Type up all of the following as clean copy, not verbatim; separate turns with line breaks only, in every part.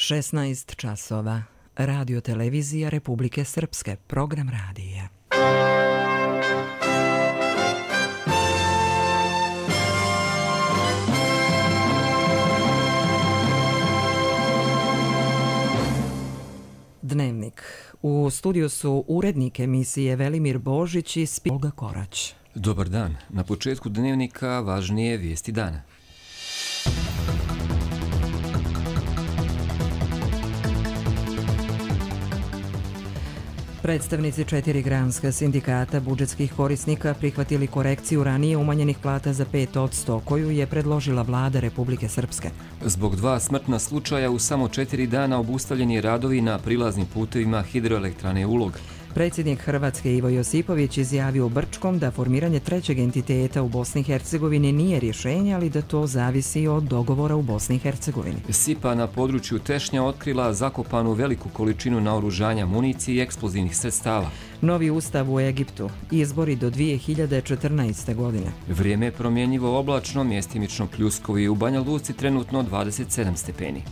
16 časova. Radio televizija Republike Srpske. Program radija. Dnevnik. U studiju su urednik emisije Velimir Božić i Olga Korać.
Dobar dan. Na početku dnevnika važnije vijesti dana.
Predstavnici 4 granska sindikata budžetskih korisnika prihvatili korekciju ranije umanjenih plata za 5%, koju je predložila vlada Republike Srpske.
Zbog 2 smrtna slučaja u samo 4 dana obustavljeni radovi na prilaznim putevima hidroelektrane Ulog.
Predsjednik Hrvatske Ivo Josipović izjavio u Brčkom da formiranje trećeg entiteta u Bosni i Hercegovini nije rješenje, ali da to zavisi od dogovora u Bosni i Hercegovini.
SIPA na području Tešnja otkrila zakopanu veliku količinu naoružanja, municije i eksplozivnih sredstava.
Novi ustav u Egiptu. Izbori do 2014. godine.
Vrijeme je promjenjivo oblačno, mjestimično pljuskovo i u Banja Luci trenutno 27 stepeni.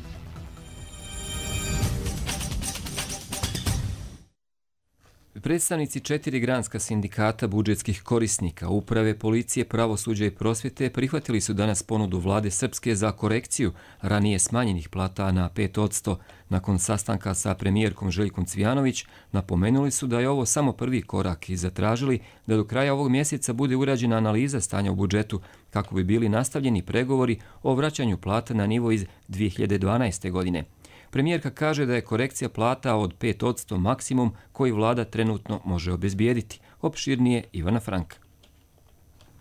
Predstavnici 4 granska sindikata budžetskih korisnika, uprave, policije, pravosuđa i prosvjete prihvatili su danas ponudu vlade Srpske za korekciju ranije smanjenih plata na 5%. Nakon sastanka sa premijerkom Željkom Cvijanović napomenuli su da je ovo samo prvi korak i zatražili da do kraja ovog mjeseca bude urađena analiza stanja u budžetu kako bi bili nastavljeni pregovori o vraćanju plata na nivo iz 2012. godine. Premijerka kaže da je korekcija plata od 5% maksimum koji vlada trenutno može obezbijediti. Opširnije Ivana Franka.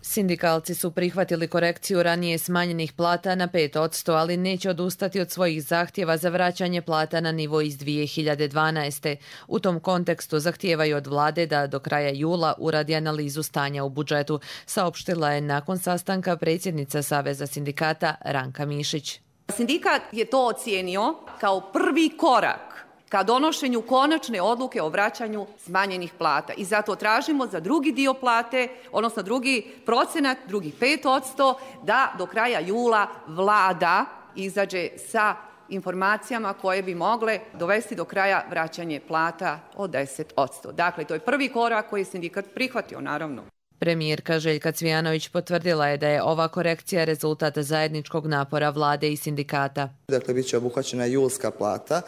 Sindikalci su prihvatili korekciju ranije smanjenih plata na 5%, ali neće odustati od svojih zahtjeva za vraćanje plata na nivo iz 2012. U tom kontekstu zahtijevaju od vlade da do kraja jula uradi analizu stanja u budžetu, saopštila je nakon sastanka predsjednica Saveza sindikata Ranka Mišić.
Sindikat je to ocijenio kao prvi korak ka donošenju konačne odluke o vraćanju smanjenih plata. I zato tražimo za drugi dio plate, odnosno drugi procenat, drugih 5%, da do kraja jula vlada izađe sa informacijama koje bi mogle dovesti do kraja vraćanje plata od 10%. Dakle, to je prvi korak koji je sindikat prihvatio, naravno.
Premijerka Željka Cvijanović potvrdila je da je ova korekcija rezultat zajedničkog napora vlade i sindikata.
Dakle, bit će obuhvaćena julska plata.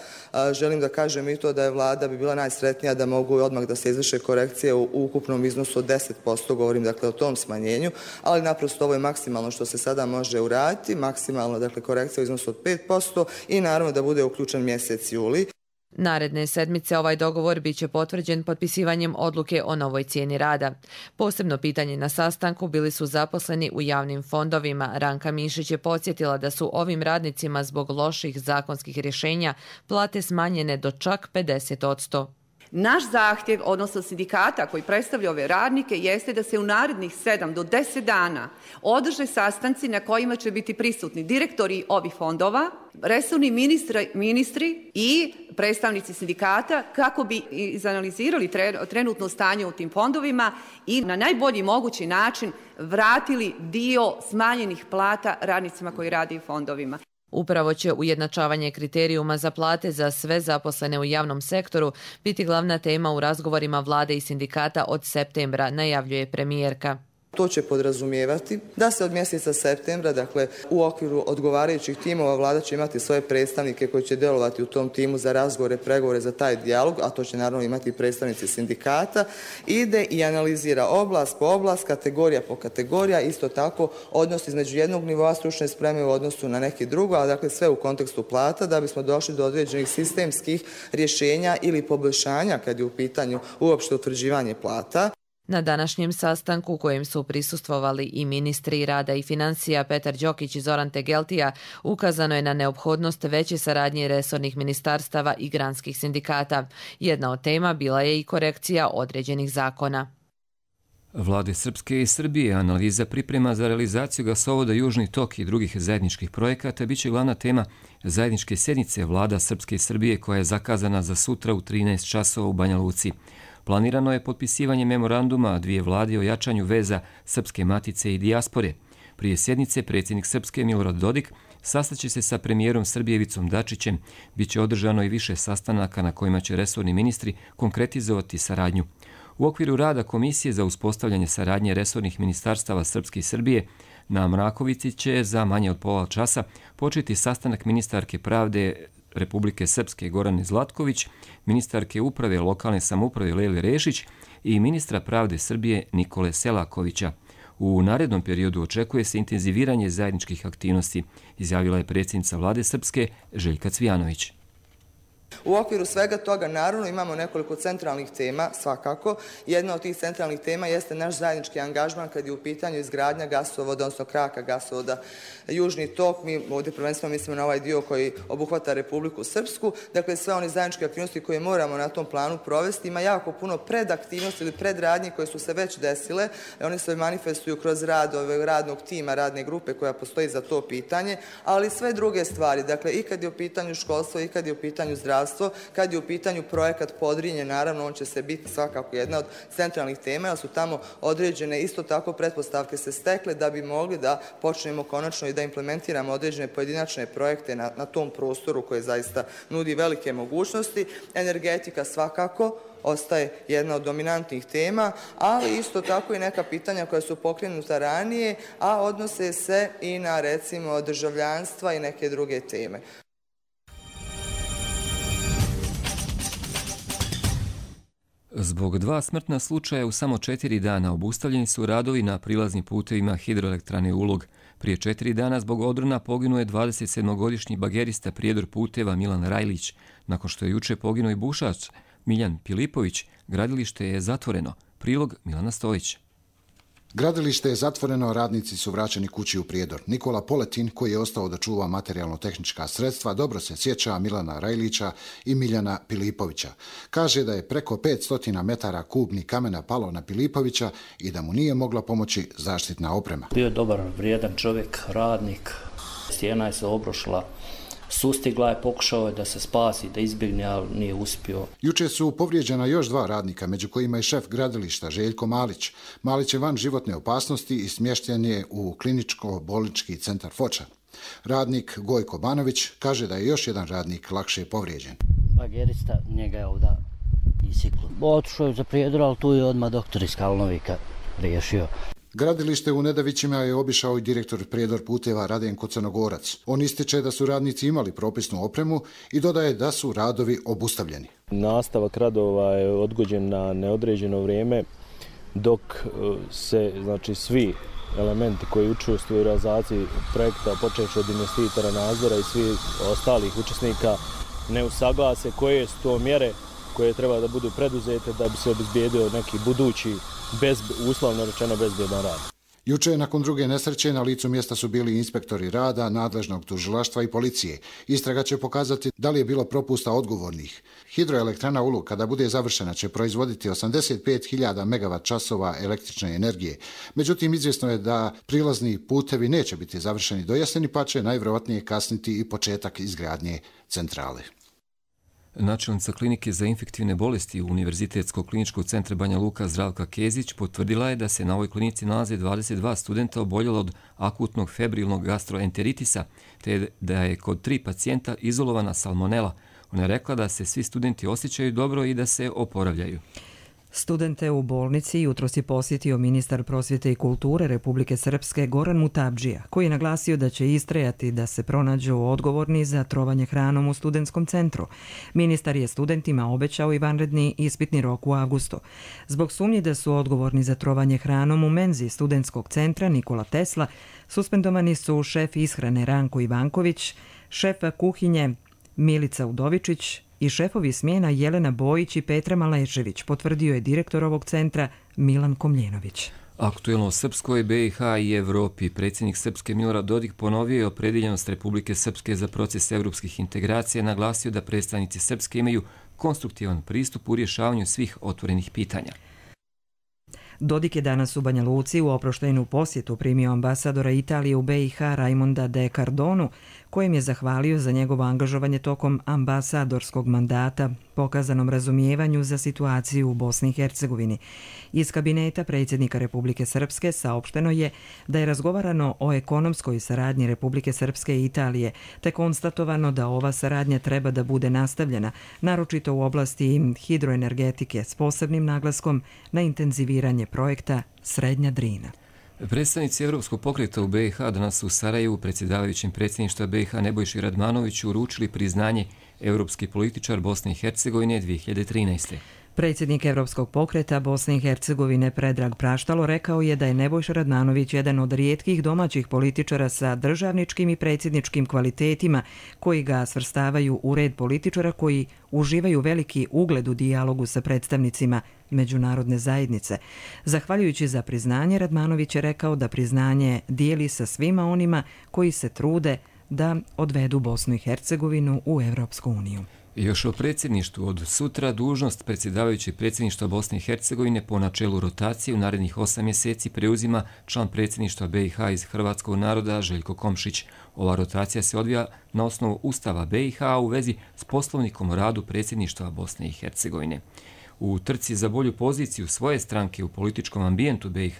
Želim da kažem i to da je vlada bi bila najsretnija da mogu odmah da se izvrše korekcije u ukupnom iznosu od 10%, govorim dakle o tom smanjenju, ali naprosto ovo je maksimalno što se sada može uraditi, maksimalno dakle korekcija u iznosu od 5% i naravno da bude uključen mjesec juli.
Naredne sedmice ovaj dogovor bit će potvrđen potpisivanjem odluke o novoj cijeni rada. Posebno pitanje na sastanku bili su zaposleni u javnim fondovima. Ranka Mišić je podsjetila da su ovim radnicima zbog loših zakonskih rješenja plate smanjene do čak 50%.
Naš zahtjev, odnosno sindikata koji predstavlja ove radnike, jeste da se u narednih 7 do 10 dana održe sastanci na kojima će biti prisutni direktori ovih fondova, resorni ministri i predstavnici sindikata kako bi izanalizirali trenutno stanje u tim fondovima i na najbolji mogući način vratili dio smanjenih plata radnicima koji rade u fondovima.
Upravo će ujednačavanje kriterijuma za plate za sve zaposlene u javnom sektoru biti glavna tema u razgovorima vlade i sindikata od septembra, najavljuje premijerka.
To će podrazumijevati da se od mjeseca septembra, dakle u okviru odgovarajućih timova, vlada će imati svoje predstavnike koji će djelovati u tom timu za razgovore, pregovore za taj dijalog, a to će naravno imati predstavnici sindikata, ide i analizira oblast po oblast, kategorija po kategorija, isto tako odnos između jednog nivoa stručne spreme u odnosu na neki drugo, a dakle sve u kontekstu plata da bismo došli do određenih sistemskih rješenja ili poboljšanja kad je u pitanju uopšte utvrđivanje plata.
Na današnjem sastanku u kojem su prisustvovali i ministri rada i financija Petar Đokić i Zoran Tegeltija, ukazano je na neophodnost veće saradnje resornih ministarstava i granskih sindikata. Jedna od tema bila je i korekcija određenih zakona.
Vlade Srpske i Srbije analiza priprema za realizaciju gasovoda Južni tok i drugih zajedničkih projekata biće glavna tema zajedničke sjednice vlada Srpske i Srbije koja je zakazana za sutra u 13 časova u Banja Luci. Planirano je potpisivanje memoranduma dvije vlade o jačanju veza Srpske matice i dijaspore. Prije sjednice predsjednik Srpske Milorad Dodik sastaće se sa premijerom Srbije Ivicom Dačićem. Biće održano i više sastanaka na kojima će resorni ministri konkretizovati saradnju. U okviru rada Komisije za uspostavljanje saradnje resornih ministarstava Srpske i Srbije na Mrakovici će za manje od pola časa početi sastanak ministarke pravde Republike Srpske Gorane Zlatković, ministarke uprave lokalne samouprave Lejle Rešić i ministra pravde Srbije Nikole Selakovića. U narednom periodu očekuje se intenziviranje zajedničkih aktivnosti, izjavila je predsjednica vlade Srpske Željka Cvijanović.
U okviru svega toga naravno imamo nekoliko centralnih tema, svakako. Jedna od tih centralnih tema jeste naš zajednički angažman kad je u pitanju izgradnja gasovoda, odnosno kraka gasovoda Južni tok. Mi ovdje prvenstveno mislimo na ovaj dio koji obuhvata Republiku Srpsku. Dakle, sve one zajedničke aktivnosti koje moramo na tom planu provesti. Ima jako puno predaktivnosti ili predradnji koje su se već desile. One se manifestuju kroz rad radnog tima, radne grupe koja postoji za to pitanje, ali sve druge stvari. Dakle, i kad je u pitanju školstvo, i kad je u pitanju zdravstvo, kad je u pitanju projekat Podrinje, naravno on će se biti svakako jedna od centralnih tema, jer su tamo određene isto tako pretpostavke se stekle da bi mogli da počnemo konačno i da implementiramo određene pojedinačne projekte na tom prostoru koje zaista nudi velike mogućnosti. Energetika svakako ostaje jedna od dominantnih tema, ali isto tako i neka pitanja koja su pokrenuta ranije, a odnose se i na recimo državljanstva i neke druge teme.
Zbog 2 smrtna slučaja u samo 4 dana obustavljeni su radovi na prilaznim putevima hidroelektrane Ulog. Prije 4 dana zbog odrona poginuo je 27-godišnji bagerista prijedor puteva Milan Rajlić. Nakon što je juče poginuo i bušač Miljan Pilipović, gradilište je zatvoreno. Prilog Milana Stojić.
Gradilište je zatvoreno, radnici su vraćeni kući u Prijedor. Nikola Poletin, koji je ostao da čuva materijalno-tehnička sredstva, dobro se sjeća Milana Rajlića i Miljana Pilipovića. Kaže da je preko 500 metara kubnih kamena palo na Pilipovića i da mu nije mogla pomoći zaštitna oprema.
Bio je dobar, vrijedan čovjek, radnik. Stijena je se obrušila. Sustigla je, pokušao je da se spasi, da izbjegne, ali nije uspio.
Juče su povrijeđena još 2 radnika, među kojima je šef gradilišta Željko Malić. Malić je van životne opasnosti i smješten je u kliničko-bolnički centar Foča. Radnik Gojko Banović kaže da je još jedan radnik lakše povrijeđen.
Bagerista, njega je ovdje isiklo. Otišao je za Prijedor, ali tu je odmah doktor iz Kalnovika riješio.
Gradilište u Nedavićima je obišao i direktor Prijedor puteva Radenko Crnogorac. On ističe da su radnici imali propisnu opremu i dodaje da su radovi obustavljeni.
Nastavak radova je odgođen na neodređeno vrijeme dok se svi elementi koji učestvuju u realizaciji projekta, počevši od investitora, nadzora i svih ostalih učesnika, ne usaglase koje su to mjere koje treba da budu preduzete da bi se obezbijedio neki budući, uslovno rečeno, bezbjedan rad.
Juče, nakon druge nesreće, na licu mjesta su bili inspektori rada, nadležnog tužilaštva i policije. Istraga će pokazati da li je bilo propusta odgovornih. Hidroelektrana Ulog, kada bude završena, će proizvoditi 85.000 MWh električne energije. Međutim, izvjesno je da prilazni putevi neće biti završeni do jeseni, pa će najvjerojatnije kasniti i početak izgradnje centrale.
Načelnica klinike za infektivne bolesti Univerzitetskog kliničkog centra Banja Luka Zdravka Kezić potvrdila je da se na ovoj klinici nalaze 22 studenta oboljela od akutnog febrilnog gastroenteritisa, te da je kod 3 pacijenta izolovana salmonela. Ona je rekla da se svi studenti osjećaju dobro i da se oporavljaju.
Studente u bolnici jutros je posjetio ministar prosvjete i kulture Republike Srpske Goran Mutabdžija, koji je naglasio da će istrajati da se pronađu odgovorni za trovanje hranom u studentskom centru. Ministar je studentima obećao i vanredni ispitni rok u avgustu. Zbog sumnje da su odgovorni za trovanje hranom u menzi studentskog centra Nikola Tesla, suspendovani su šef ishrane Ranko Ivanković, šefa kuhinje Milica Udovičić i šefovi smjena Jelena Bojić i Petra Malešević, potvrdio je direktor ovog centra Milan Komljenović.
Aktuelno o Srpskoj, BiH i Evropi. Predsjednik Srpske Milorad Dodik ponovio je opredjeljenost Republike Srpske za proces evropskih integracija, naglasio da predstavnici Srpske imaju konstruktivan pristup u rješavanju svih otvorenih pitanja.
Dodik je danas u Banja Luci u oproštajnu posjetu primio ambasadora Italije u BiH Raimonda de Cardonu, kojem je zahvalio za njegovo angažovanje tokom ambasadorskog mandata, pokazanom razumijevanju za situaciju u Bosni i Hercegovini. Iz kabineta predsjednika Republike Srpske saopšteno je da je razgovarano o ekonomskoj saradnji Republike Srpske i Italije, te konstatovano da ova saradnja treba da bude nastavljena, naročito u oblasti hidroenergetike s posebnim naglaskom na intenziviranje projekta Srednja Drina.
Predstavnici Evropskog pokreta u BiH danas u Sarajevu predsjedavajućim predsjedništva BiH Nebojši Radmanoviću uručili priznanje Evropski političar Bosne i Hercegovine 2013.
Predsjednik Evropskog pokreta Bosne i Hercegovine Predrag Praštalo rekao je da je Nebojša Radmanović jedan od rijetkih domaćih političara sa državničkim i predsjedničkim kvalitetima koji ga svrstavaju u red političara koji uživaju veliki ugled u dijalogu sa predstavnicima međunarodne zajednice. Zahvaljujući za priznanje, Radmanović je rekao da priznanje dijeli sa svima onima koji se trude da odvedu Bosnu i Hercegovinu u Evropsku uniju.
Još o predsjedništvu od sutra dužnost predsjedavajućeg predsjedništva Bosne i Hercegovine po načelu rotacije u narednih 8 mjeseci preuzima član predsjedništva BiH iz hrvatskog naroda Željko Komšić. Ova rotacija se odvija na osnovu Ustava BiH u vezi s poslovnikom o radu predsjedništva Bosne i Hercegovine. U trci za bolju poziciju svoje stranke u političkom ambijentu BiH,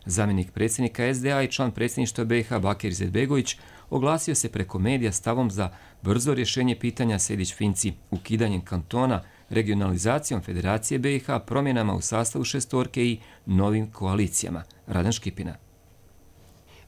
zamjenik predsjednika SDA i član predsjedništva BiH Bakir Izetbegović oglasio se preko medija stavom za brzo rješenje pitanja Sejdić-Finci, ukidanjem kantona, regionalizacijom Federacije BiH, promjenama u sastavu šestorke i novim koalicijama. Radan Škipina.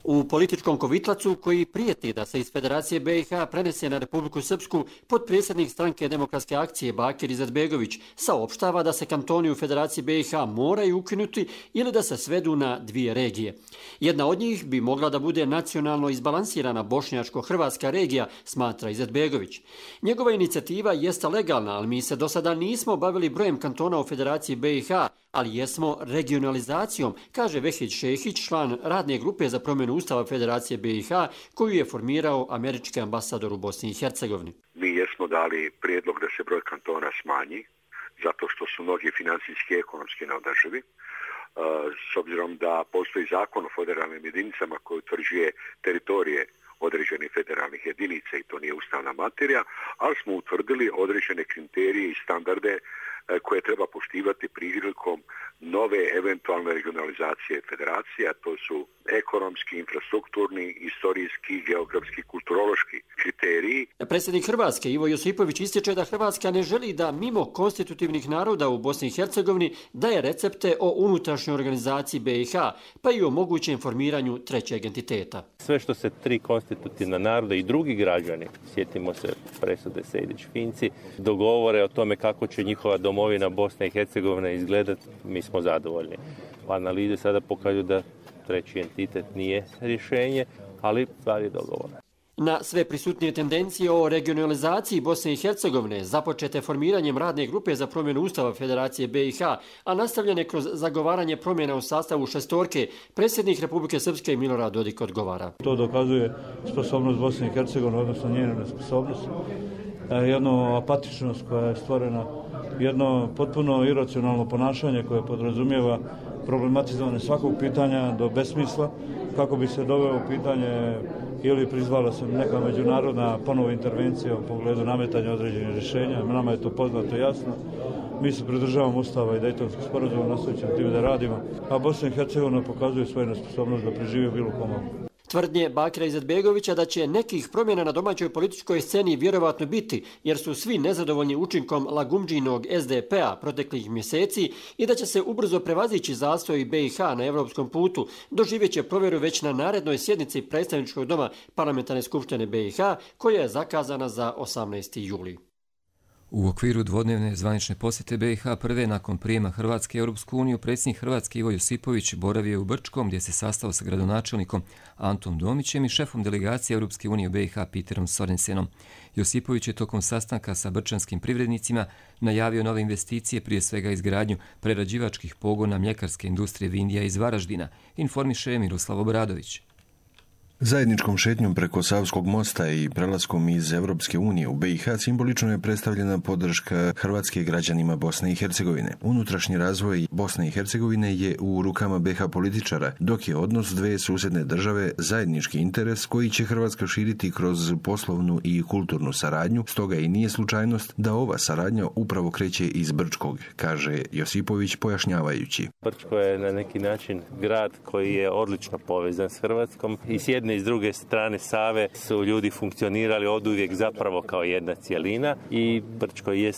U političkom kovitlacu koji prijeti da se iz Federacije BiH prenese na Republiku Srpsku, potpredsjednik stranke Demokratske akcije Bakir Izetbegović saopštava da se kantoni u Federaciji BiH moraju ukinuti ili da se svedu na 2 regije. Jedna od njih bi mogla da bude nacionalno izbalansirana bošnjačko-hrvatska regija, smatra Izetbegović. Njegova inicijativa jeste legalna, ali mi se do sada nismo bavili brojem kantona u Federaciji BiH, ali jesmo regionalizacijom, kaže Vehid Šehić, član radne grupe za promjenu Ustava Federacije BiH, koju je formirao američki ambasador u Bosni i Hercegovini.
Mi jesmo dali prijedlog da se broj kantona smanji, zato što su mnogi financijski i ekonomski neodrživi. S obzirom da postoji zakon o federalnim jedinicama koji utvrđuje teritorije određenih federalnih jedinica i to nije ustavna materija, ali smo utvrdili određene kriterije i standarde koje treba poštivati prilikom nove eventualne regionalizacije federacije, a to su ekonomski, infrastrukturni, istorijski, geografski, kulturološki kriteriji.
Predsjednik Hrvatske Ivo Josipović ističe da Hrvatska ne želi da mimo konstitutivnih naroda u Bosni i Hercegovini daje recepte o unutrašnjoj organizaciji BiH, pa i o mogućem formiranju trećeg entiteta.
Sve što se 3 konstitutivna naroda i drugi građani, sjetimo se presude Sejdić-Finci, dogovore o tome kako će njihova domovina Bosna i Hercegovina izgledati, mi smo zadovoljni. Analize sada pokazuju da treći entitet nije rješenje, ali stvar je dogovora.
Na sve prisutnije tendencije o regionalizaciji Bosne i Hercegovine, započete formiranjem radne grupe za promjenu Ustava Federacije BiH, a nastavljene kroz zagovaranje promjena u sastavu šestorke, predsjednik Republike Srpske Milorad Dodik odgovara.
To dokazuje sposobnost Bosne i Hercegovine, odnosno njenu nesposobnost, jednu apatičnost koja je stvorena, jedno potpuno iracionalno ponašanje koje podrazumijeva problematizovanje svakog pitanja do besmisla, kako bi se doveo u pitanje ili prizvala se neka međunarodna ponovo intervencija u pogledu nametanja određenih rješenja. Nama je to poznato jasno. Mi se pridržavamo Ustava i Dejtonskog sporazuma, nastavit ćemo time da radimo, a Bosna i Hercegovina pokazuje svoju nesposobnost da preživi bilo komu.
Tvrdnje Bakira Izetbegovića da će nekih promjena na domaćoj političkoj sceni vjerovatno biti, jer su svi nezadovoljni učinkom Lagumdžinog SDP-a proteklih mjeseci i da će se ubrzo prevazići zastoj BiH na evropskom putu, doživjet će provjeru već na narednoj sjednici predstavničkog doma Parlamentarne skupštine BiH, koja je zakazana za 18. juli.
U okviru dvodnevne zvanične posjete BiH prve nakon prijema Hrvatske u Europsku uniju, predsjednik Hrvatske Ivo Josipović boravio je u Brčkom gdje se sastao sa gradonačelnikom Antom Domićem i šefom delegacije Europske unije u BiH Peterom Sorensenom. Josipović je tokom sastanka sa brčanskim privrednicima najavio nove investicije, prije svega izgradnju prerađivačkih pogona mljekarske industrije Vindija iz Varaždina, informiše Miroslav Obradović.
Zajedničkom šetnjom preko Savskog mosta i prelaskom iz Europske unije u BiH simbolično je predstavljena podrška Hrvatske građanima Bosne i Hercegovine. Unutrašnji razvoj Bosne i Hercegovine je u rukama BiH političara, dok je odnos dve susjedne države zajednički interes koji će Hrvatska širiti kroz poslovnu i kulturnu saradnju, stoga i nije slučajnost da ova saradnja upravo kreće iz Brčkog, kaže Josipović pojašnjavajući.
Brčko je na neki način grad koji je odlično povezan s Hrvatskom i s jedne i s druge strane Save su ljudi funkcionirali oduvijek zapravo kao jedna cjelina i Brčko je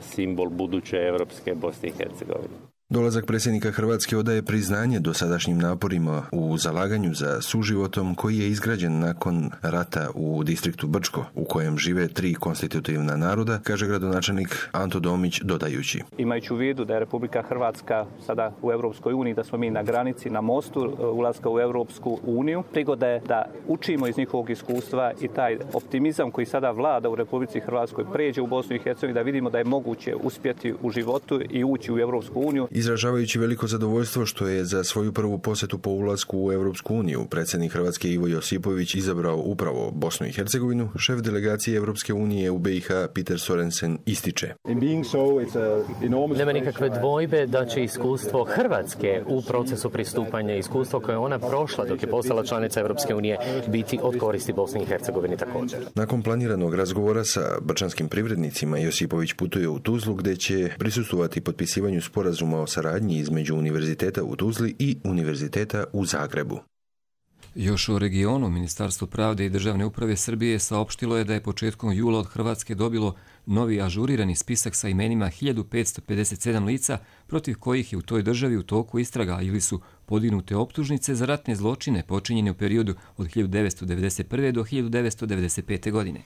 simbol buduće evropske Bosne i Hercegovine.
Dolazak predsjednika Hrvatske odaje priznanje dosadašnjim naporima u zalaganju za suživotom koji je izgrađen nakon rata u distriktu Brčko, u kojem žive 3 konstitutivna naroda, kaže gradonačelnik Anto Domić dodajući.
Imajući u vidu da je Republika Hrvatska sada u Europskoj uniji, da smo mi na granici, na mostu ulaska u Europsku uniju, prigoda je da učimo iz njihovog iskustva i taj optimizam koji sada vlada u Republici Hrvatskoj pređe u Bosnu i Hercegovinu, da vidimo da je moguće uspjeti u životu i ući u Europsku uniju.
Izražavajući veliko zadovoljstvo što je za svoju prvu posjetu po ulasku u Europsku uniju predsjednik Hrvatske Ivo Josipović izabrao upravo Bosnu i Hercegovinu, šef delegacije Europske unije u BiH Peter Sorensen ističe.
Nema nikakve dvojbe da će iskustvo Hrvatske u procesu pristupanja, iskustvo koje ona prošla dok je postala članica Europske unije, biti od koristi Bosni i Hercegovini također.
Nakon planiranog razgovora sa brčanskim privrednicima, Josipović putuje u Tuzlu gdje će prisustvovati potpisivanju sporazuma o saradnji između Univerziteta u Tuzli i Univerziteta u Zagrebu.
Još u regionu, Ministarstvo pravde i državne uprave Srbije saopštilo je da je početkom jula od Hrvatske dobilo novi ažurirani spisak sa imenima 1557 lica protiv kojih je u toj državi u toku istraga ili su podignute optužnice za ratne zločine počinjene u periodu od 1991. do 1995. godine.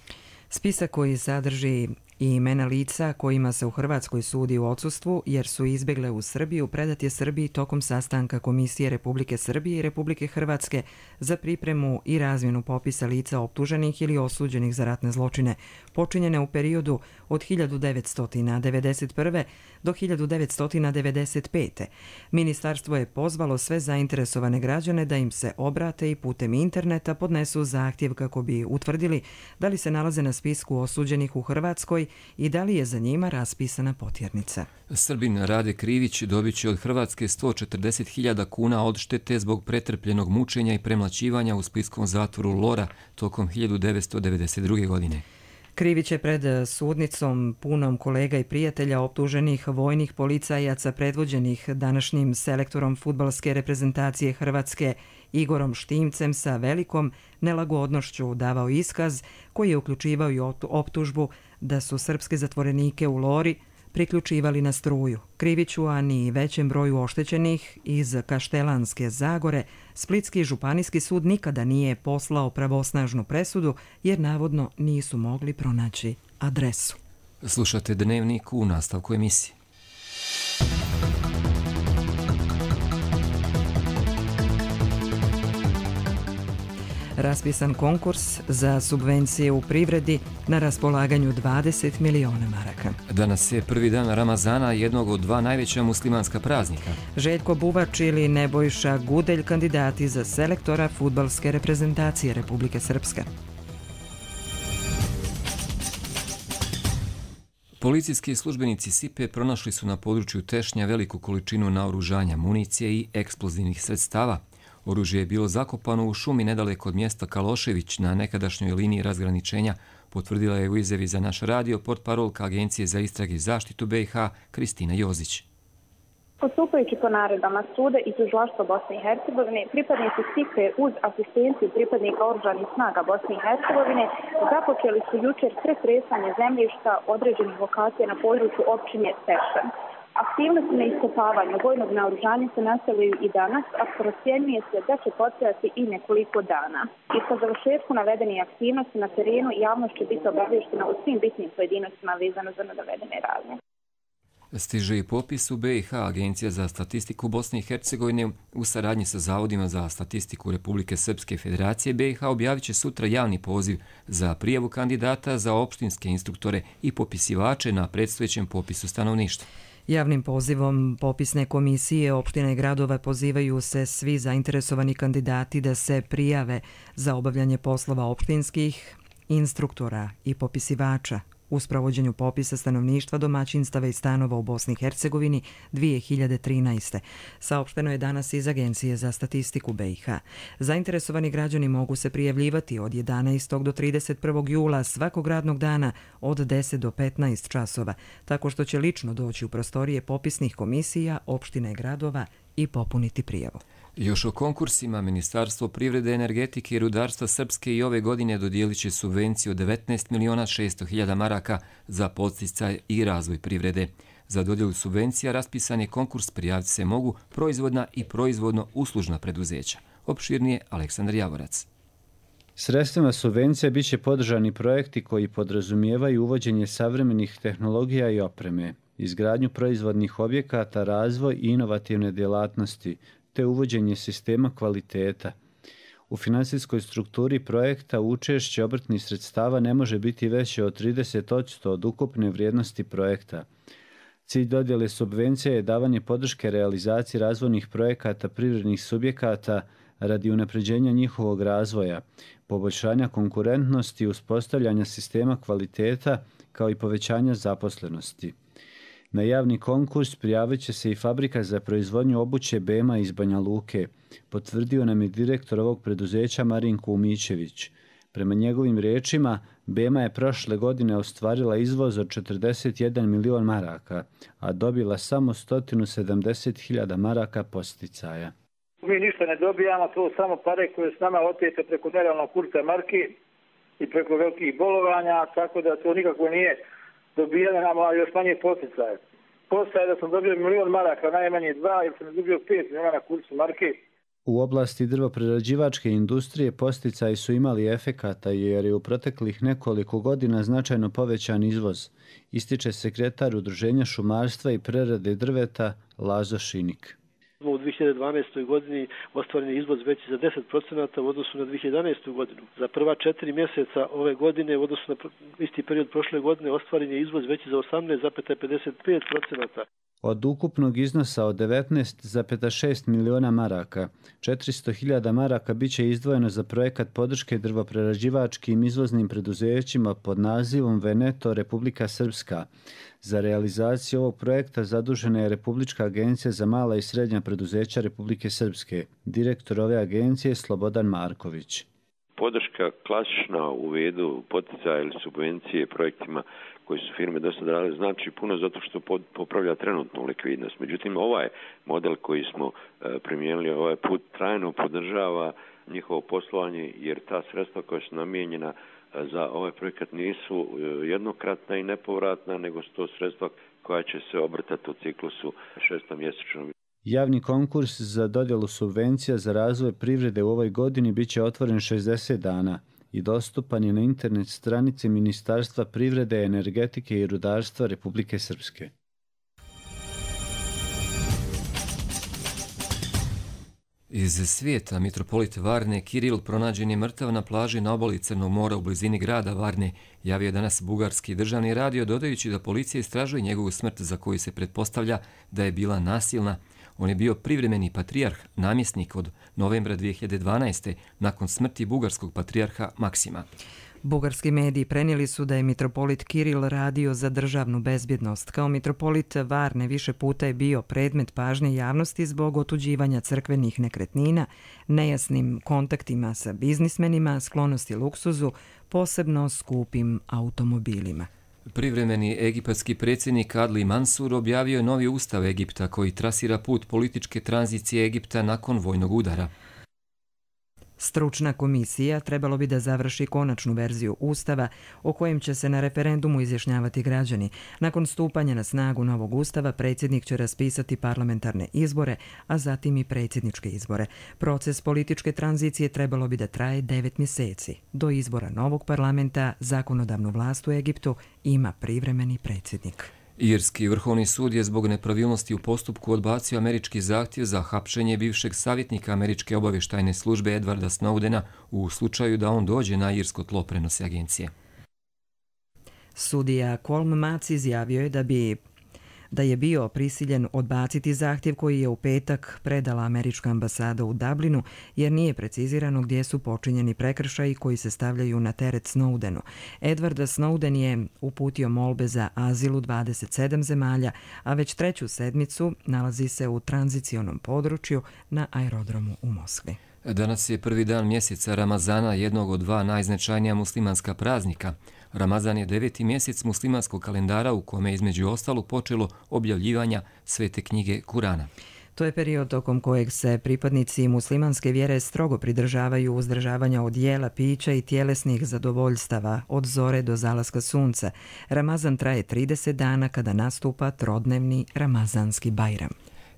Spisak koji sadrži i imena lica kojima se u Hrvatskoj sudi u odsustvu jer su izbjegle u Srbiju predat je Srbiji tokom sastanka Komisije Republike Srbije i Republike Hrvatske za pripremu i razmjenu popisa lica optuženih ili osuđenih za ratne zločine počinjene u periodu od 1991. do 1995. Ministarstvo je pozvalo sve zainteresovane građane da im se obrate i putem interneta podnesu zahtjev kako bi utvrdili da li se nalaze na spisku osuđenih u Hrvatskoj i da li je za njima raspisana potjernica.
Srbin Rade Krivić dobit će od Hrvatske 140.000 kuna odštete zbog pretrpljenog mučenja i premlaćivanja u splitskom zatvoru Lora tokom 1992. godine.
Krivić je pred sudnicom punom kolega i prijatelja optuženih vojnih policajaca predvođenih današnjim selektorom fudbalske reprezentacije Hrvatske Igorom Štimcem sa velikom nelagodnošću davao iskaz koji je uključivao i optužbu da su srpske zatvorenike u Lori priključivali na struju. Kriviću, a ni većem broju oštećenih iz Kaštelanske Zagore, Splitski županijski sud nikada nije poslao pravosnažnu presudu jer navodno nisu mogli pronaći adresu.
Slušate Dnevnik u nastavku emisije.
Raspisan konkurs za subvencije u privredi na raspolaganju 20 miliona maraka.
Danas je prvi dan Ramazana, jednog od 2 najveća muslimanska praznika.
Željko Bubač ili Nebojša Gudelj kandidati za selektora fudbalske reprezentacije Republike Srpske.
Policijski službenici SIPE pronašli su na području Tešnja veliku količinu naoružanja, municije i eksplozivnih sredstava. Oružje je bilo zakopano u šumi nedaleko od mjesta Kalošević na nekadašnjoj liniji razgraničenja, potvrdila je u izjavi za naš radio portparolka Agencije za istrage i zaštitu BiH Kristina Jozić.
Postupajući po naredbama suda i tužilaštva Bosne i Hercegovine, pripadnici SIPE uz asistenciju pripadnika oružanih snaga Bosne i Hercegovine započeli su jučer pretresanje zemljišta određenih lokacija na području općine Tešan. Aktivnosti na iskopavanju vojnog naoružanja se nastavljaju i danas, a procjenjuje se da će potrajati i nekoliko dana. I po završetku navedenih aktivnosti na terenu javnost će biti obavještena o svim bitnim pojedinostima vezano za navedene radnje.
Stiže i popis u BiH. Agencija za statistiku Bosne i Hercegovine u saradnji sa Zavodima za statistiku Republike Srpske Federacije BiH objavit će sutra javni poziv za prijavu kandidata za opštinske instruktore i popisivače na predstojećem popisu stanovništva.
Javnim pozivom popisne komisije opština i gradova pozivaju se svi zainteresovani kandidati da se prijave za obavljanje poslova opštinskih instruktora i popisivača u sprovođenju popisa stanovništva, domaćinstava i stanova u Bosni i Hercegovini 2013. Saopšteno je danas iz Agencije za statistiku BiH. Zainteresovani građani mogu se prijavljivati od 11. do 31. jula svakog radnog dana od 10 do 15 časova, tako što će lično doći u prostorije popisnih komisija, opština i gradova i popuniti prijavu.
Još o konkursima, Ministarstvo privrede, energetike i rudarstva Srpske i ove godine dodijelit će subvenciju od 19.600.000 maraka za podsticaj i razvoj privrede. Za dodjelu subvencija raspisan je konkurs, prijaviti se mogu proizvodna i proizvodno-uslužna preduzeća. Opširnije Aleksandar Javorac.
Sredstvima subvencija bit će podržani projekti koji podrazumijevaju uvođenje savremenih tehnologija i opreme, izgradnju proizvodnih objekata, razvoj i inovativne djelatnosti, te uvođenje sistema kvaliteta. U finansijskoj strukturi projekta učešće obrtnih sredstava ne može biti veće od 30% od ukupne vrijednosti projekta. Cilj dodjele subvencija je davanje podrške realizaciji razvojnih projekata privrednih subjekata radi unapređenja njihovog razvoja, poboljšanja konkurentnosti i uspostavljanja sistema kvaliteta kao i povećanja zaposlenosti. Na javni konkurs prijavit će se i fabrika za proizvodnju obuće Bema iz Banja Luke, potvrdio nam je direktor ovog preduzeća Marinko Umićević. Prema njegovim riječima, Bema je prošle godine ostvarila izvoz od 41 milion maraka, a dobila samo 170.000 maraka posticaja.
Mi ništa ne dobijamo, to samo pare koje s nama otete preko nerealnog kursa marki i preko velikih bolovanja, tako da to nikako nije dobijanje nam, a još manje posticaje. Postaje da sam dobio 1 milion maraka, najmanje 2, jer sam dobio 5 miliona na kursu marke.
U oblasti drvoprerađivačke industrije posticaji su imali efekata jer je u proteklih nekoliko godina značajno povećan izvoz, ističe sekretar Udruženja šumarstva i prerade drveta Lazo Šinik.
U 2012. godini ostvaren je izvoz veći za 10% u odnosu na 2011. godinu. Za prva 4 mjeseca ove godine u odnosu na isti period prošle godine ostvaren je izvoz veći za 18,55%.
Od ukupnog iznosa od 19,6 miliona maraka, 400.000 maraka bit će izdvojeno za projekat podrške drvoprerađivačkim izvoznim preduzećima pod nazivom Veneto Republika Srpska. Za realizaciju ovog projekta zadužena je Republička agencija za mala i srednja preduzeća Republike Srpske. Direktor ove agencije je Slobodan Marković.
Podrška klasična u vidu poticaja ili subvencije projektima koji su firme do sada radile znači puno zato što popravlja trenutnu likvidnost. Međutim, ovaj model koji smo primijenili ovaj put trajno podržava njihovo poslovanje jer ta sredstva koja su namijenjena za ovaj projekat nisu jednokratna i nepovratna, nego su to sredstva koja će se obrtati u ciklusu 6-mjesečnom.
Javni konkurs za dodjelu subvencija za razvoj privrede u ovoj godini bit će otvoren 60 dana i dostupan je na internet stranici Ministarstva privrede, energetike i rudarstva Republike Srpske.
Iz svijeta, mitropolit Varne Kiril pronađen je mrtav na plaži na obali Crnog mora u blizini grada Varne, javio danas bugarski državni radio, dodajući da policija istražuje njegovu smrt za koju se pretpostavlja da je bila nasilna. On je bio privremeni patrijarh, namjesnik od novembra 2012. nakon smrti bugarskog patrijarha Maksima.
Bugarski mediji prenijeli su da je mitropolit Kiril radio za državnu bezbjednost. Kao mitropolit Varne više puta je bio predmet pažnje javnosti zbog otuđivanja crkvenih nekretnina, nejasnim kontaktima sa biznismenima, sklonosti luksuzu, posebno skupim automobilima.
Privremeni egipatski predsjednik Adli Mansur objavio je novi ustav Egipta koji trasira put političke tranzicije Egipta nakon vojnog udara.
Stručna komisija trebalo bi da završi konačnu verziju ustava o kojem će se na referendumu izjašnjavati građani. Nakon stupanja na snagu novog ustava, predsjednik će raspisati parlamentarne izbore, a zatim i predsjedničke izbore. Proces političke tranzicije trebalo bi da traje 9 mjeseci. Do izbora novog parlamenta zakonodavnu vlast u Egiptu ima privremeni predsjednik.
Irski vrhovni sud je zbog nepravilnosti u postupku odbacio američki zahtjev za hapšenje bivšeg savjetnika američke obavještajne službe Edwarda Snowdena u slučaju da on dođe na irsko tlo, prenose agencije.
Sudija Colm Mac izjavio je da bi da je bio prisiljen odbaciti zahtjev koji je u petak predala američka ambasada u Dublinu, jer nije precizirano gdje su počinjeni prekršaji koji se stavljaju na teret Snowdenu. Edward Snowden je uputio molbe za azil u 27 zemalja, a već 3. sedmicu nalazi se u tranzicionom području na aerodromu u Moskvi.
Danas je prvi dan mjeseca Ramazana, jednog od 2 najznačajnija muslimanska praznika. Ramazan je 9. mjesec muslimanskog kalendara u kome je između ostalo počelo objavljivanja svete knjige Kurana.
To je period tokom kojeg se pripadnici muslimanske vjere strogo pridržavaju uzdržavanja od jela, pića i tjelesnih zadovoljstava od zore do zalaska sunca. Ramazan traje 30 dana kada nastupa trodnevni ramazanski bajram.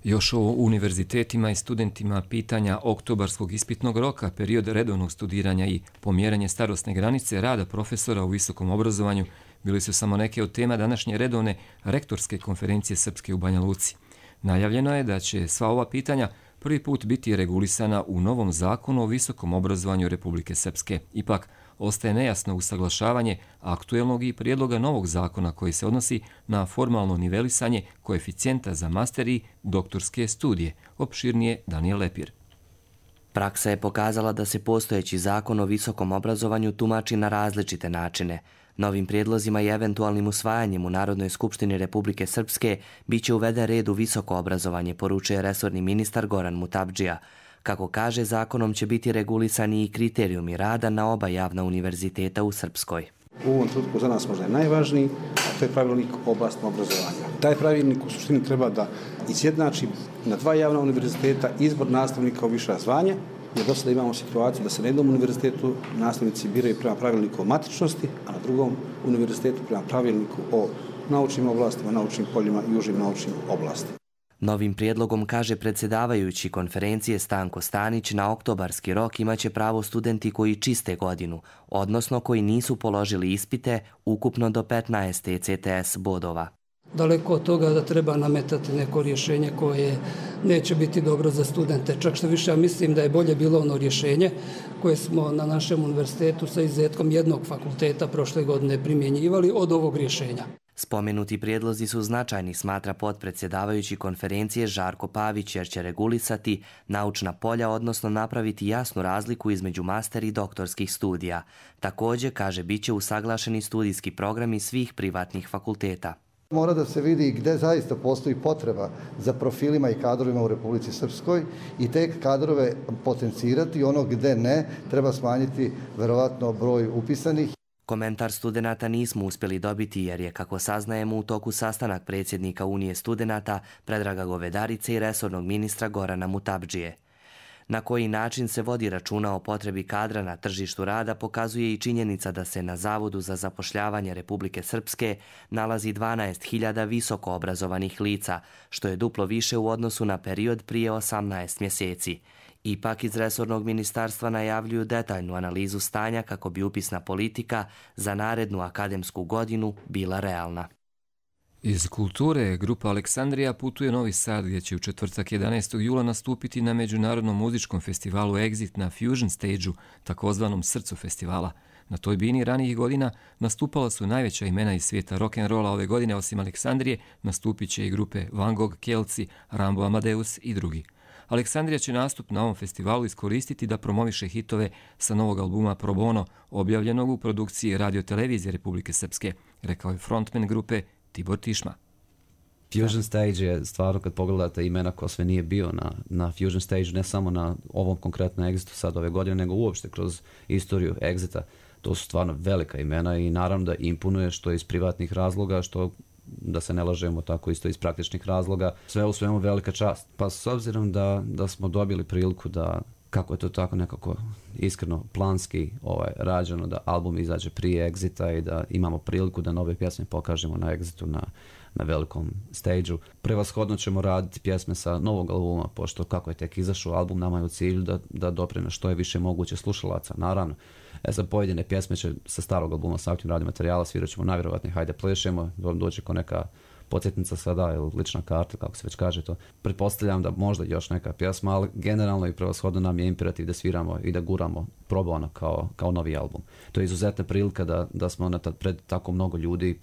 Još o univerzitetima i studentima pitanja oktobarskog ispitnog roka, period redovnog studiranja i pomjeranje starosne granice rada profesora u visokom obrazovanju bili su samo neke od tema današnje redovne rektorske konferencije Srpske u Banja Luci. Najavljeno je da će sva ova pitanja prvi put biti regulisana u novom zakonu o visokom obrazovanju Republike Srpske. Ipak, ostaje nejasno usaglašavanje aktuelnog i prijedloga novog zakona koji se odnosi na formalno nivelisanje koeficijenta za master i doktorske studije. Opširnije Daniel Lepir.
Praksa je pokazala da se postojeći zakon o visokom obrazovanju tumači na različite načine. Novim prijedlozima i eventualnim usvajanjem u Narodnoj skupštini Republike Srpske biće uveden red u visoko obrazovanje, poručuje resorni ministar Goran Mutabdžija. Kako kaže, zakonom će biti regulisani i kriterijumi rada na oba javna univerziteta u Srpskoj.
U ovom trenutku za nas možda je najvažniji, a to je pravilnik o oblastima obrazovanja. Taj pravilnik u suštini treba da izjednači na 2 javna univerziteta izbor nastavnika u viša zvanja, jer do sada imamo situaciju da se na jednom univerzitetu nastavnici biraju prema pravilniku o matičnosti, a na drugom univerzitetu prema pravilniku o naučnim oblastima, naučnim poljima i užim naučnim oblastima.
Novim prijedlogom, kaže predsjedavajući konferencije Stanko Stanić, na oktobarski rok imaće pravo studenti koji čiste godinu, odnosno koji nisu položili ispite, ukupno do 15 ECTS bodova.
Daleko od toga da treba nametati neko rješenje koje neće biti dobro za studente. Čak što više, ja mislim da je bolje bilo ono rješenje koje smo na našem univerzitetu sa izuzetkom jednog fakulteta prošle godine primjenjivali od ovog rješenja.
Spomenuti prijedlozi su značajni, smatra potpredsjedavajući konferencije Žarko Pavić, jer će regulisati naučna polja, odnosno napraviti jasnu razliku između master i doktorskih studija. Također, kaže, bit će usaglašeni studijski programi svih privatnih fakulteta.
Mora da se vidi gdje zaista postoji potreba za profilima i kadrovima u Republici Srpskoj i te kadrove potencirati, ono gdje ne, treba smanjiti verovatno broj upisanih.
Komentar studenata nismo uspjeli dobiti jer je, kako saznajemo, u toku sastanak predsjednika Unije studenata Predraga Govedarice i resornog ministra Gorana Mutabdžije. Na koji način se vodi računa o potrebi kadra na tržištu rada pokazuje i činjenica da se na Zavodu za zapošljavanje Republike Srpske nalazi 12.000 visoko obrazovanih lica, što je duplo više u odnosu na period prije 18 mjeseci. Ipak iz resornog ministarstva najavljuju detaljnu analizu stanja kako bi upisna politika za narednu akademsku godinu bila realna.
Iz kulture, grupa Aleksandrija putuje Novi Sad, gdje će u četvrtak 11. jula nastupiti na međunarodnom muzičkom festivalu Exit na Fusion Stage-u, takozvanom srcu festivala. Na toj bini ranijih godina nastupala su najveća imena iz svijeta rock'n'rolla. Ove godine, osim Aleksandrije, nastupit će i grupe Van Gogh, Kelci, Rambo Amadeus i drugi. Aleksandrija će nastup na ovom festivalu iskoristiti da promoviše hitove sa novog albuma Pro Bono, objavljenog u produkciji Radio-televizije Republike Srpske, rekao je frontman grupe Tibor Tišma.
Fusion Stage je stvarno, kad pogledate imena ko sve nije bio na Fusion Stage, ne samo na ovom konkretnom Exitu sad ove godine, nego uopšte kroz istoriju Exita. To su stvarno velika imena i naravno da imponuje, što iz privatnih razloga, što, da se ne lažemo, tako isto iz praktičnih razloga. Sve u svemu velika čast. Pa s obzirom da smo dobili priliku da, kako je to tako nekako iskreno planski rađeno, da album izađe prije Exita i da imamo priliku da nove pjesme pokažemo na Exitu na velikom stage-u. Prevashodno ćemo raditi pjesme sa novog albuma, pošto kako je tek izašao album, nama je u cilju da dopreme što je više moguće slušalaca. Naravno, za pojedine pjesme će sa starog albuma, sa aktivnim radnim materijala, svirat ćemo najvjerovatnije Hajde plešemo, dođe ko neka podsjetnica sada ili lična karta, kako se već kaže to. Pretpostavljam da možda još neka pjesma, ali generalno i prevashodno nam je imperativ da sviramo i da guramo probano kao novi album. To je izuzetna prilika da smo pred tako mnogo ljudi,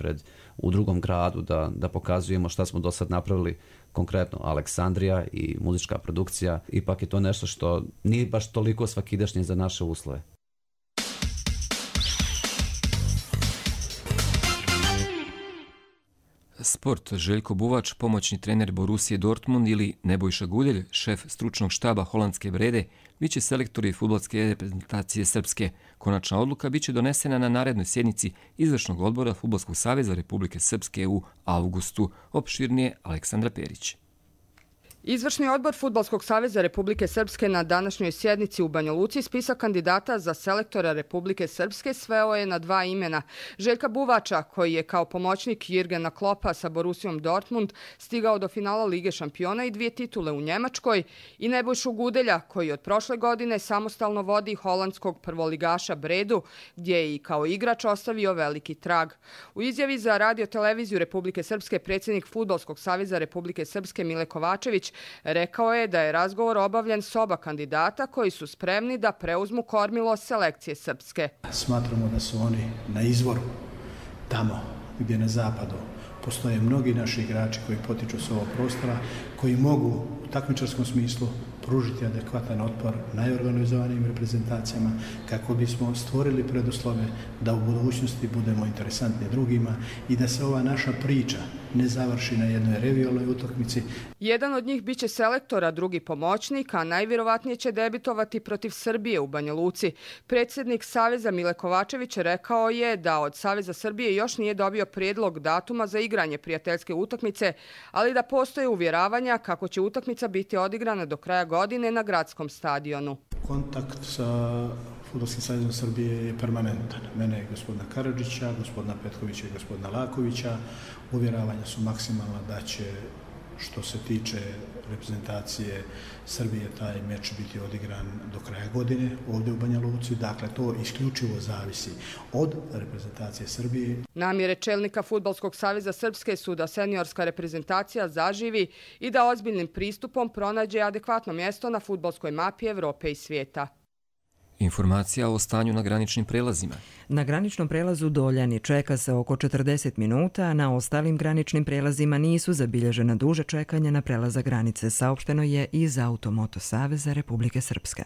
u drugom gradu, da pokazujemo šta smo do sad napravili, konkretno Aleksandrija i muzička produkcija. Ipak je to nešto što nije baš toliko svakidašnje za naše uslove.
Sport. Željko Buvač, pomoćni trener Borusije Dortmund, ili Nebojša Guljelj, šef stručnog štaba holandske Brede, biće selektori fudbalske reprezentacije Srpske. Konačna odluka biće donesena na narednoj sjednici Izvršnog odbora Fudbalskog saveza Republike Srpske u avgustu. Opširnije Aleksandra Perić.
Izvršni odbor Fudbalskog saveza Republike Srpske na današnjoj sjednici u Banja Luci spisak kandidata za selektora Republike Srpske sveo je na 2 imena. Željka Buvača, koji je kao pomoćnik Jurgena Kloppa sa Borussijom Dortmund stigao do finala Lige šampiona i 2 titule u Njemačkoj, i Nebojšu Gudelja, koji od prošle godine samostalno vodi holandskog prvoligaša Bredu, gdje je i kao igrač ostavio veliki trag. U izjavi za Radio-televiziju Republike Srpske predsjednik Fudbalskog saveza Republike Srpske Mile Kovačević rekao je da je razgovor obavljen s oba kandidata koji su spremni da preuzmu kormilo selekcije Srpske.
Smatramo da su oni na izvoru, tamo gdje na zapadu postoje mnogi naši igrači koji potiču s ovog prostora, koji mogu u takmičarskom smislu pružiti adekvatan otpor najorganizovanijim reprezentacijama kako bismo stvorili preduslove da u budućnosti budemo interesantni drugima i da se ova naša priča ne završi na jednoj revijalnoj utakmici.
Jedan od njih biće selektor, a drugi pomoćnik, a najvjerovatnije će debitovati protiv Srbije u Banja Luci. Predsjednik Saveza Mile Kovačević rekao je da od Saveza Srbije još nije dobio prijedlog datuma za igranje prijateljske utakmice, ali da postoje uvjeravanja kako će utakmica biti odigrana do kraja godine na gradskom stadionu.
Kontakt sa Fudbalskim savezom Srbije je permanentan. Mene i gospodina Karadžića, gospodina Petkovića i gospodina Lakovića. Uvjeravanja su maksimalna da će, što se tiče reprezentacije Srbije, taj meč biti odigran do kraja godine ovdje u Banja Luci. Dakle, to isključivo zavisi od reprezentacije Srbije.
Namjere čelnika Fudbalskog saveza Srpske su da seniorska reprezentacija zaživi i da ozbiljnim pristupom pronađe adekvatno mjesto na fudbalskoj mapi Evrope i svijeta.
Informacija o stanju na graničnim prelazima.
Na graničnom prelazu Doljani čeka se oko 40 minuta, a na ostalim graničnim prelazima nisu zabilježena duže čekanja na prelazak granice, saopšteno je iz Automoto saveza Republike Srpske.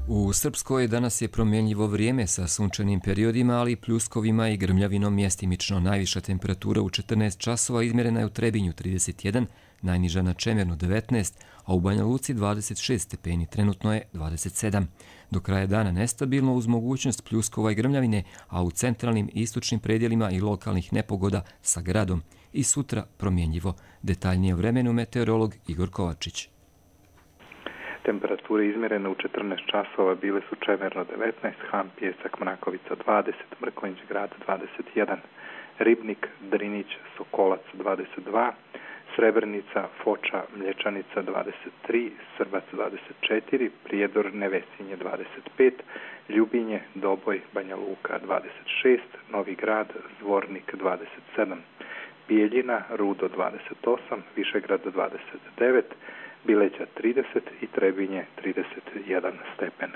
U Srpskoj danas je promjenjivo vrijeme sa sunčanim periodima, ali i pljuskovima i grmljavinom. Mjestimično najviša temperatura u 14 časova izmjerena je u Trebinju 31, najniža na Čemernu 19, a u Banja Luci 26 stepeni, trenutno je 27. Do kraja dana nestabilno uz mogućnost pljuskova i grmljavine, a u centralnim i istočnim predjelima i lokalnih nepogoda sa gradom. I sutra promjenjivo. Detaljnije o vremenu meteorolog Igor Kovačić.
Temperature izmjerene u 14 časova bile su Čemerno 19, Han, Pjesak, Mrakovica 20, Mrkonjić grad 21, Ribnik, Drinić, Sokolac 22, Srebrenica, Foča, Mlječanica 23, Srbac 24, Prijedor, Nevesinje 25, Ljubinje, Doboj, Banja Luka 26, Novi Grad, Zvornik 27, Bijeljina, Rudo 28, Višegrad 29, Bileća 30 i Trebinje 31 stepen.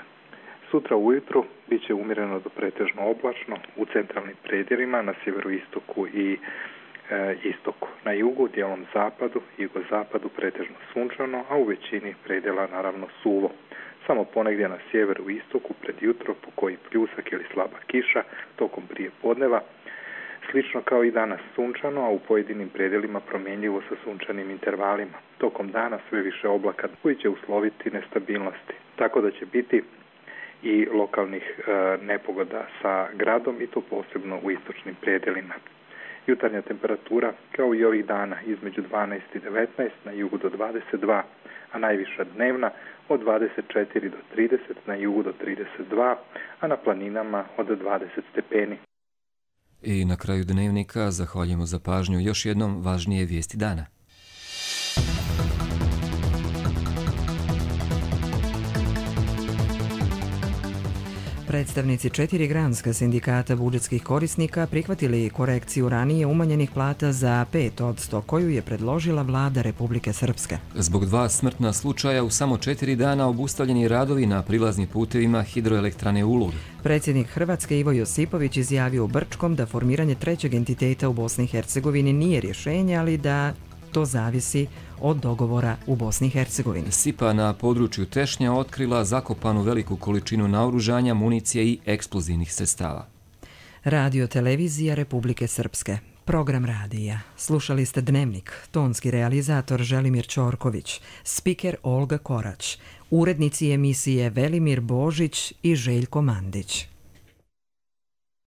Sutra ujutru bit će umjereno do pretežno oblačno u centralnim predjelima na sjeveroistoku i istoku. Na jugu, dijelom zapadu i jugozapadu pretežno sunčano, a u većini predjela naravno suvo. Samo ponegdje na sjeveru i istoku pred jutro po koji pljusak ili slaba kiša tokom prije podneva. Slično kao i danas sunčano, a u pojedinim predjelima promjenjivo sa sunčanim intervalima. Tokom dana sve više oblaka koji će usloviti nestabilnosti. Tako da će biti i lokalnih nepogoda sa gradom i to posebno u istočnim predjelima. Jutarnja temperatura kao i ovih dana između 12 i 19, na jugu do 22, a najviša dnevna od 24 do 30, na jugu do 32, a na planinama od 20 stepeni.
I na kraju dnevnika zahvaljujemo za pažnju još jednom važnije vijesti dana.
Predstavnici 4 granska sindikata budžetskih korisnika prihvatili korekciju ranije umanjenih plata za 5%, koju je predložila vlada Republike Srpske.
Zbog 2 smrtna slučaja u samo 4 dana obustavljeni radovi na prilaznim putevima hidroelektrane Ulug.
Predsjednik Hrvatske Ivo Josipović izjavio u Brčkom da formiranje trećeg entiteta u Bosni i Hercegovini nije rješenje, ali da to zavisi od dogovora u Bosni i Hercegovini.
SIPA na području Tešnja otkrila zakopanu veliku količinu naoružanja, municije i eksplozivnih sredstava.
Radio televizija Republike Srpske. Program radija. Slušali ste Dnevnik. Tonski realizator Želimir Ćorković. Spiker Olga Korać. Urednici emisije Velimir Božić i Željko Mandić.